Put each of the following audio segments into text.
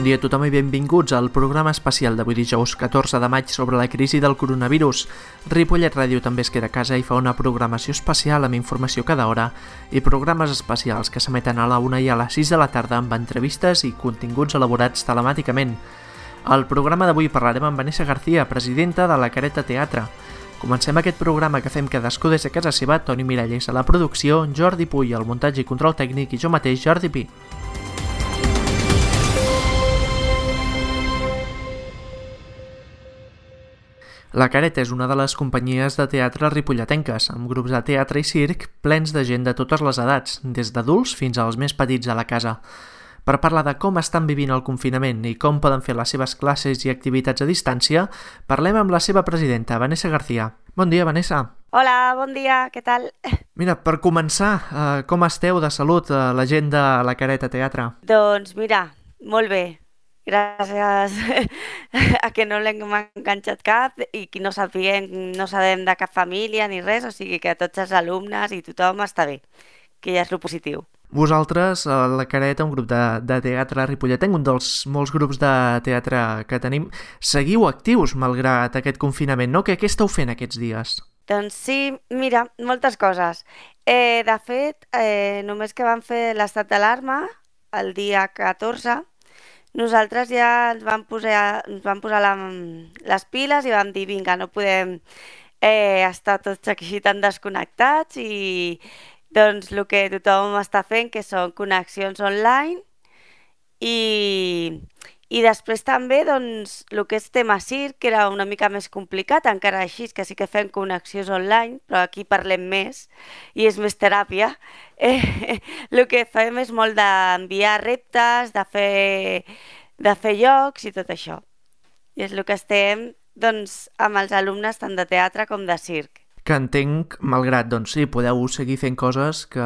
dia a tothom i benvinguts al programa especial d'avui dijous 14 de maig sobre la crisi del coronavirus. Ripollet Ràdio també es queda a casa i fa una programació especial amb informació cada hora i programes especials que s'emeten a la 1 i a les 6 de la tarda amb entrevistes i continguts elaborats telemàticament. Al programa d'avui parlarem amb Vanessa García, presidenta de la Careta Teatre. Comencem aquest programa que fem cadascú des de casa seva, Toni Miralles a la producció, Jordi Puy al muntatge i control tècnic i jo mateix, Jordi Pi. La Careta és una de les companyies de teatre ripolletenques, amb grups de teatre i circ plens de gent de totes les edats, des d'adults fins als més petits a la casa. Per parlar de com estan vivint el confinament i com poden fer les seves classes i activitats a distància, parlem amb la seva presidenta, Vanessa García. Bon dia, Vanessa. Hola, bon dia, què tal? Mira, per començar, com esteu de salut, la gent de la Careta Teatre? Doncs mira, molt bé. Gràcies a que no l'hem enganxat cap i que no sabem de cap família ni res, o sigui que tots els alumnes i tothom està bé, que ja és lo positiu. Vosaltres, la Careta, un grup de teatre ripolletenc, un dels molts grups de teatre que tenim, seguiu actius malgrat aquest confinament, no? Què esteu fent aquests dies? Doncs sí, mira, moltes coses. De fet, només que vam fer l'estat d'alarma el dia 14, nosaltres ja ens vam posar les piles i vam dir, vinga, no podem estar tots aquí tan desconnectats i doncs el que tothom està fent, que són connexions online i després també doncs el que és tema circ, que era una mica més complicat, encara així que sí que fem connexions online, però aquí parlem més i és més teràpia. El que fem és molt d'enviar reptes, de fer jocs i tot això. I és el que estem doncs, amb els alumnes tant de teatre com de circ. Que entenc, malgrat, doncs sí, podeu seguir fent coses que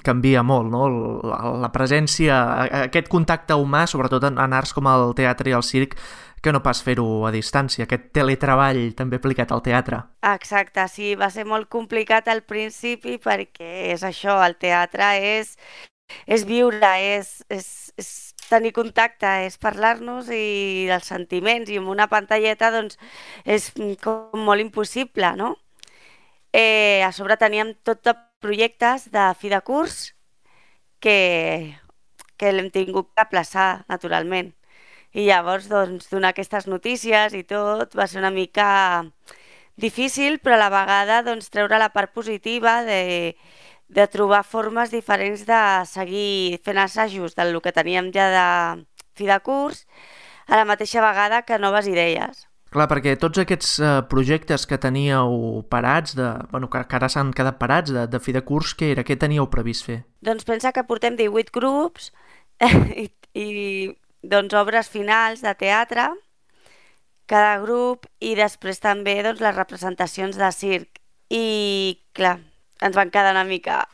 canvia molt, no? La presència, aquest contacte humà, sobretot en arts com el teatre i el circ, que no pas fer-ho a distància, aquest teletreball també aplicat al teatre. Exacte, sí, va ser molt complicat al principi perquè és això, el teatre és viure, és tenir contacte, és parlar-nos i dels sentiments, i amb una pantalleta doncs és com molt impossible, no? A sobre teníem tot de projectes de fi de curs que l'hem tingut que aplaçar, naturalment. I llavors, doncs, donar aquestes notícies i tot va ser una mica difícil, però a la vegada doncs, treure la part positiva de trobar formes diferents de seguir fent assajos del que teníem ja de fi de curs, a la mateixa vegada que noves idees. Clar, perquè tots aquests projectes que teníeu parats, que ara s'han quedat parats de fi de curs, què teníeu previst fer? Doncs pensa que portem 18 grups i doncs obres finals de teatre, cada grup, i després també doncs, les representacions de circ. I clar, ens van quedar una mica...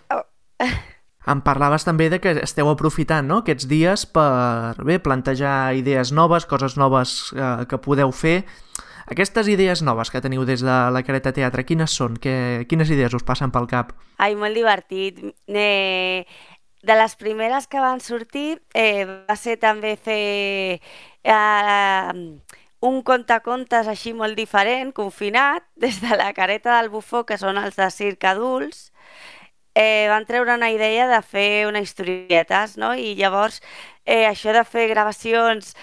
Em parlaves també de que esteu aprofitant, no?, aquests dies per plantejar idees noves, coses noves que podeu fer. Aquestes idees noves que teniu des de la Careta Teatre, quines són? Quines idees us passen pel cap? Ai, molt divertit. De les primeres que van sortir va ser també fer un contacontes així molt diferent, confinat, des de la Careta del Bufó, que són els de circ adults. Van treure una idea de fer unes historietes, no? I llavors això de fer gravacions,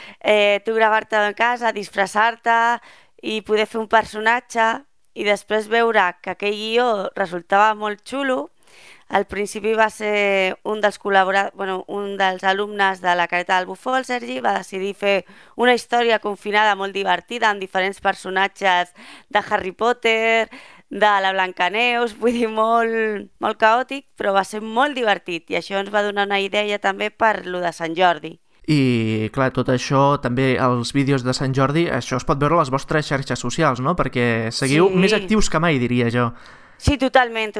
tu gravar-te a casa, disfressar-te i poder fer un personatge i després veure que aquell guió resultava molt xulo. Al principi va ser un dels alumnes de la Careta del Bufó, el Sergi, va decidir fer una història confinada molt divertida amb diferents personatges de Harry Potter, de la Blancaneus, vull dir, molt caòtic, però va ser molt divertit i això ens va donar una idea també per lo de Sant Jordi. I, clar, tot això, també els vídeos de Sant Jordi, això es pot veure a les vostres xarxes socials, no? Perquè seguiu més actius que mai, diria jo. Sí, totalment,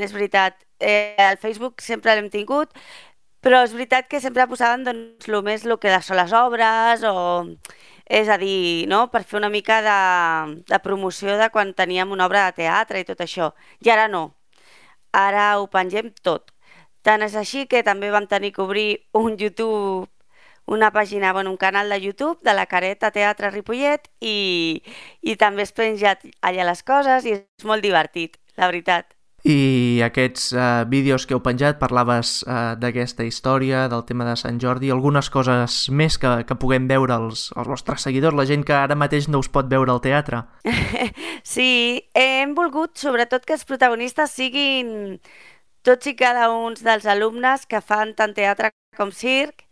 és veritat. Al Facebook sempre l'hem tingut, però és veritat que sempre posaven doncs, el que són les obres, o és a dir, no? Per fer una mica de promoció de quan teníem una obra de teatre i tot això. I ara no, ara ho pengem tot. Tant és així que també vam tenir que obrir un YouTube una pàgina, un canal de YouTube de la Careta Teatre Ripollet i també has penjat allà les coses i és molt divertit, la veritat. I aquests vídeos que heu penjat, parlaves d'aquesta història, del tema de Sant Jordi, algunes coses més que puguem veure els vostres seguidors, la gent que ara mateix no us pot veure al teatre. Sí, hem volgut sobretot que els protagonistes siguin tots i cada un dels alumnes que fan tant teatre com circ,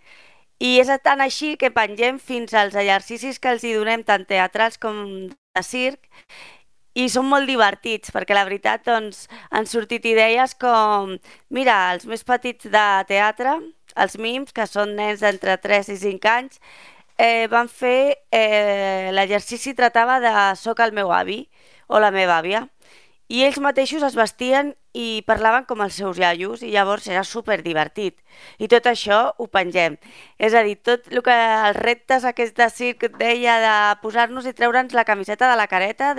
i és tant així que pengem fins als exercicis que els hi donem tant teatrals com de circ, i són molt divertits, perquè la veritat doncs, han sortit idees com, mira, els més petits de teatre, els mims, que són nens d'entre 3 i 5 anys, van fer, l'exercici tractava de soc el meu avi o la meva àvia, i ells mateixos es vestien i parlaven com els seus iaios, i llavors era superdivertit. I tot això ho pengem. És a dir, tot el que els reptes aquests de circ deia de posar-nos i treure'ns la camiseta de la careta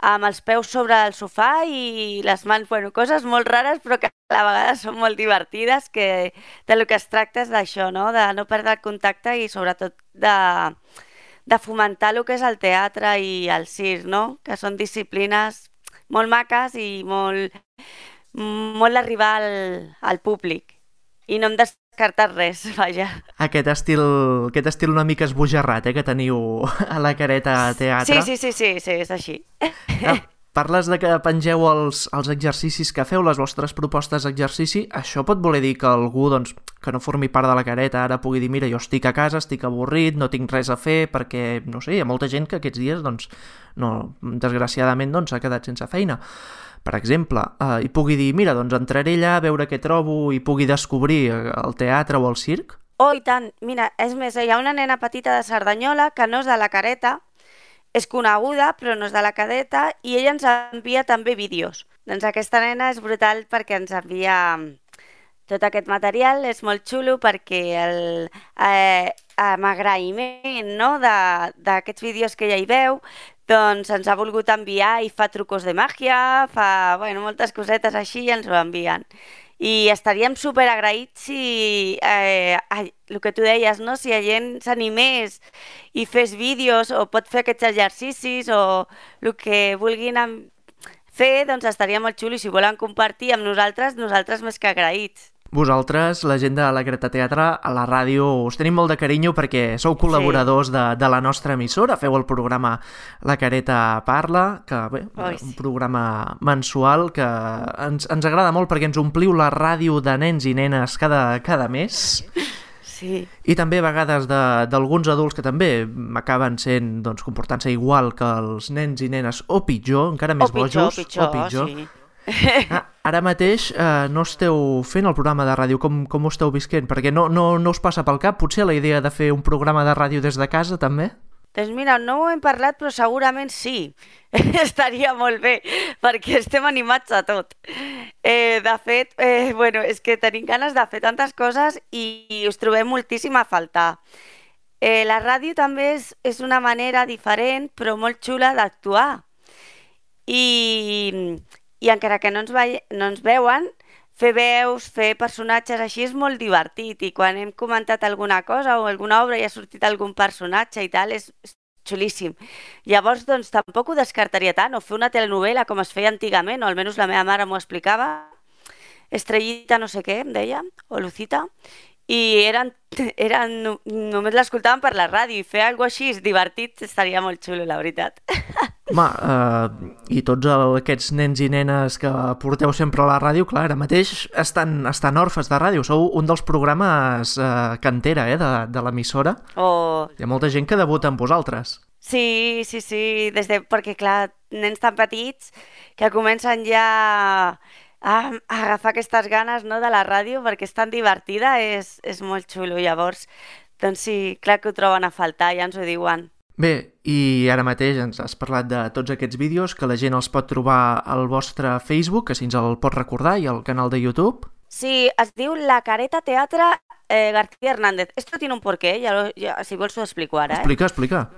amb els peus sobre el sofà i les mans, coses molt rares però que a la vegada són molt divertides, que del que es tracta és d'això, no? De no perdre el contacte i sobretot de fomentar el que és el teatre i el circ, no? Que són disciplines molt maques i molt d'arribar al públic. I no hem descartat res, vaja. Aquest estil una mica esbojarrat, que teniu a la Careta Teatre. Sí, és així. Parles de que pengeu els exercicis que feu, les vostres propostes d'exercici. Això pot voler dir que algú que no formi part de la Careta ara pugui dir, mira, jo estic a casa, estic avorrit, no tinc res a fer, perquè, no sé, hi ha molta gent que aquests dies, desgraciadament, s'ha quedat sense feina. Per exemple, i pugui dir, mira, entraré allà a veure què trobo i pugui descobrir el teatre o el circ? Oh, i tant! Mira, és més, hi ha una nena petita de Cerdanyola que no és de la Careta, és coneguda, però no és de la Careta, i ella ens envia també vídeos. Doncs aquesta nena és brutal perquè ens envia tot aquest material, és molt xulo perquè amb agraïment, no?, d'aquests vídeos que ella hi veu, doncs ens ha volgut enviar i fa trucos de màgia, fa moltes cosetes així i ens ho envien. I estaríem superagraïts si, el que tu deies, no? Si la gent s'animés i fes vídeos o pot fer aquests exercicis o el que vulguin fer, doncs estaria molt xulo, i si volen compartir amb nosaltres més que agraïts. Vosaltres, la gent de la Careta Teatre, a la ràdio us tenim molt de carinyo perquè sou col·laboradors de la nostra emissora, feu el programa La Careta Parla, que bé, un programa mensual que ens agrada molt perquè ens ompliu la ràdio de nens i nenes cada mes. Sí. I també a vegades d'alguns adults que també acaben sent, comportant-se igual que els nens i nenes, o pitjor, encara més bojos. O pitjor, sí. Ara mateix no esteu fent el programa de ràdio, com ho esteu visquent? Perquè no us passa pel cap potser la idea de fer un programa de ràdio des de casa també? Doncs mira, no ho hem parlat, però segurament sí. Estaria molt bé, perquè estem animats a tot. De fet, és que tenim ganes de fer tantes coses i us trobem moltíssim a faltar. La ràdio també és una manera diferent, però molt xula d'actuar. I encara que no ens veuen, fer veus, fer personatges així és molt divertit, i quan hem comentat alguna cosa o alguna obra i ha sortit algun personatge i tal, és xulíssim. Llavors, tampoc ho descartaria tant, o fer una telenovela com es feia antigament, o almenys la meva mare m'ho explicava, Estrellita no sé què, em deia, o Lucita, i només l'escoltaven per la ràdio, i fer alguna cosa així divertit estaria molt xulo, la veritat. Home, i tots aquests nens i nenes que porteu sempre a la ràdio, clar, ara mateix estan orfes de ràdio. Sou un dels programes cantera de l'emissora. Hi ha molta gent que debuta amb vosaltres. Sí, perquè clar, nens tan petits que comencen ja a agafar aquestes ganes, no, de la ràdio, perquè és tan divertida, és molt xulo. Llavors, doncs sí, clar que ho troben a faltar, ja ens ho diuen. Bé, i ara mateix ens has parlat de tots aquests vídeos, que la gent els pot trobar al vostre Facebook, que si ens el pot recordar, i al canal de YouTube. Sí, es diu La Careta Teatre García Hernández. Esto tiene un porqué, si vols ho explico ara. Explica.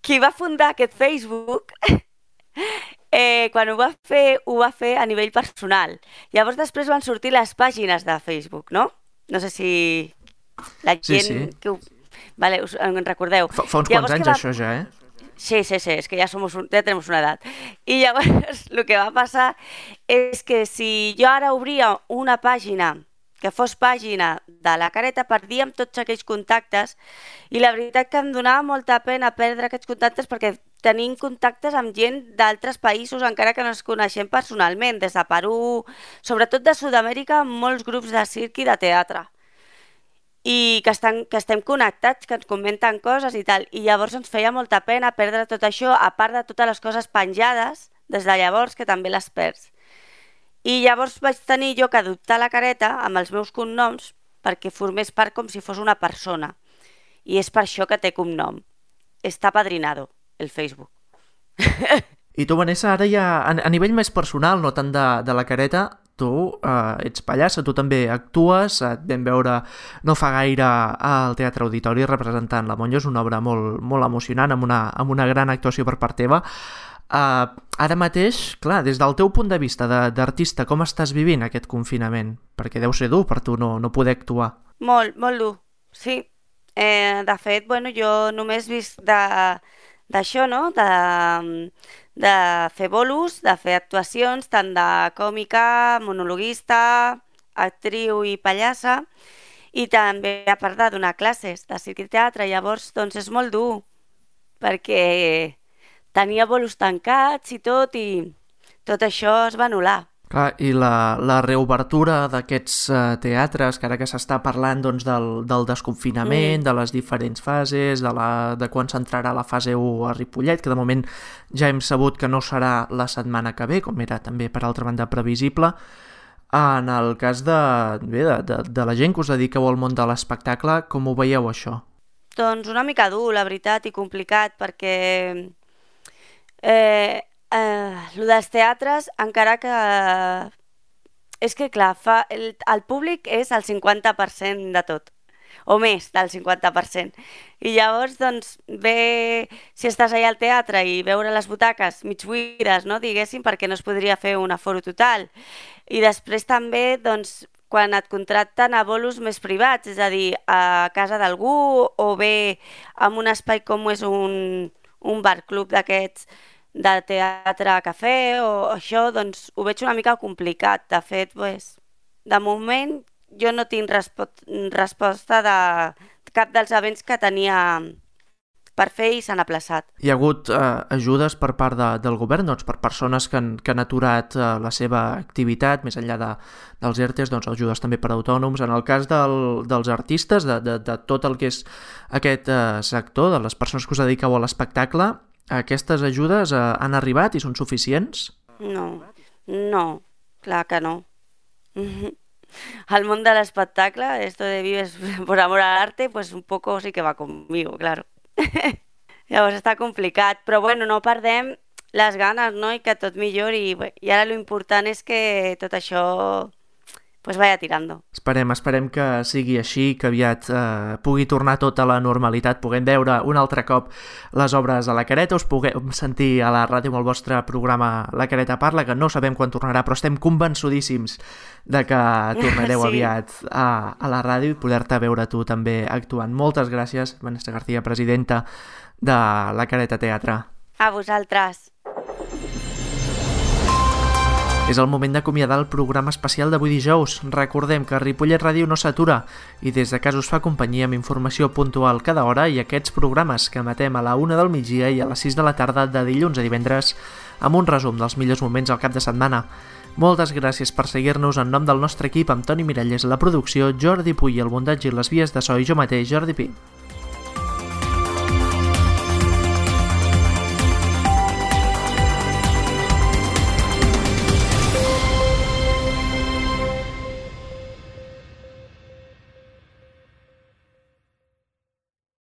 Qui va fundar aquest Facebook Quan ho va fer a nivell personal. Llavors després van sortir les pàgines de Facebook, no? No sé si la gent... Sí. Que vale, en recordeu. Fa uns quants anys això ja, Sí, és que ja tenem una edat. I llavors el que va passar és que si jo ara obria una pàgina que fos pàgina de la Careta, perdíem tots aquells contactes i la veritat que em donava molta pena perdre aquests contactes perquè tenim contactes amb gent d'altres països encara que no ens coneixem personalment, des de Perú, sobretot de Sud-amèrica, molts grups de circ i de teatre i que estem connectats, que ens comenten coses i tal, i llavors ens feia molta pena perdre tot això, a part de totes les coses penjades des de llavors, que també les perds. I llavors vaig tenir jo que adoptar la Careta amb els meus cognoms perquè formés part com si fos una persona. I és per això que té cognom. Està padrinado, el Facebook. I tu, Vanessa, ara ja a nivell més personal, no tant de la Careta, tu ets pallassa, tu també actues, et vam veure no fa gaire al Teatre Auditori representant La Monja, és una obra molt, molt emocionant, amb una gran actuació per part teva. Ara mateix, clar, des del teu punt de vista d'artista, com estàs vivint aquest confinament? Perquè deu ser dur per tu no poder actuar. Molt, molt dur, sí. De fet, jo només he vist d'això, no?, de fer bolos, de fer actuacions, tant de còmica, monologuista, actriu i pallassa, i també a part de donar classes de circ i teatre. Llavors, doncs és molt dur, perquè tenia bolos tancats i tot això es va anul·lar. Clar, i la reobertura d'aquests teatres, que ara que s'està parlant doncs, del desconfinament, de les diferents fases, de quan s'entrarà la fase 1 a Ripollet, que de moment ja hem sabut que no serà la setmana que ve, com era també per altra banda previsible. En el cas de la gent que us dediqueu al món de l'espectacle, com ho veieu això? Doncs una mica dur, la veritat, i complicat, perquè el dels teatres, encara que... És que, clar, el públic és el 50% de tot, o més del 50%. I llavors, doncs, ve si estàs allà al teatre i veure les butaques mig buides, no, diguéssim, perquè no es podria fer un aforo total. I després també, doncs, quan et contracten a bolos més privats, és a dir, a casa d'algú o bé en un espai com és un bar-club d'aquests de teatre-cafè o això, doncs ho veig una mica complicat. De fet, de moment jo no tinc resposta de cap dels events que tenia per fer i s'han aplaçat. Hi ha hagut ajudes per part del govern, doncs, per persones que han aturat la seva activitat, més enllà dels ERTEs, doncs ajudes també per a autònoms. En el cas dels artistes, de tot el que és aquest sector, de les persones que us dediqueu a l'espectacle, aquestes ajudes han arribat i són suficients? No, clar que no. Al món de l'espectacle, esto de vives por amor al arte, pues un poco sí que va conmigo, claro. Llavors està complicat, però no perdem les ganes, no?, i que tot millori, i ara l'important és que tot això pues vaya tirando. Esperem que sigui així, que aviat pugui tornar tot a la normalitat, puguem veure un altre cop les obres a la Careta, us puguem sentir a la ràdio amb el vostre programa La Careta Parla, que no sabem quan tornarà, però estem convençudíssims de que tornareu aviat a la ràdio i poder-te veure tu també actuant. Moltes gràcies, Vanessa García, presidenta de la Careta Teatre. A vosaltres. És el moment d'acomiadar el programa especial d'avui dijous. Recordem que Ripollet Ràdio no s'atura i des de casa us fa companyia amb informació puntual cada hora i aquests programes que emetem a la 1 del migdia i a les 6 de la tarda de dilluns a divendres amb un resum dels millors moments al cap de setmana. Moltes gràcies per seguir-nos en nom del nostre equip amb Toni Miralles a la producció, Jordi Puy al muntatge i les vies de so i jo mateix, Jordi Pi.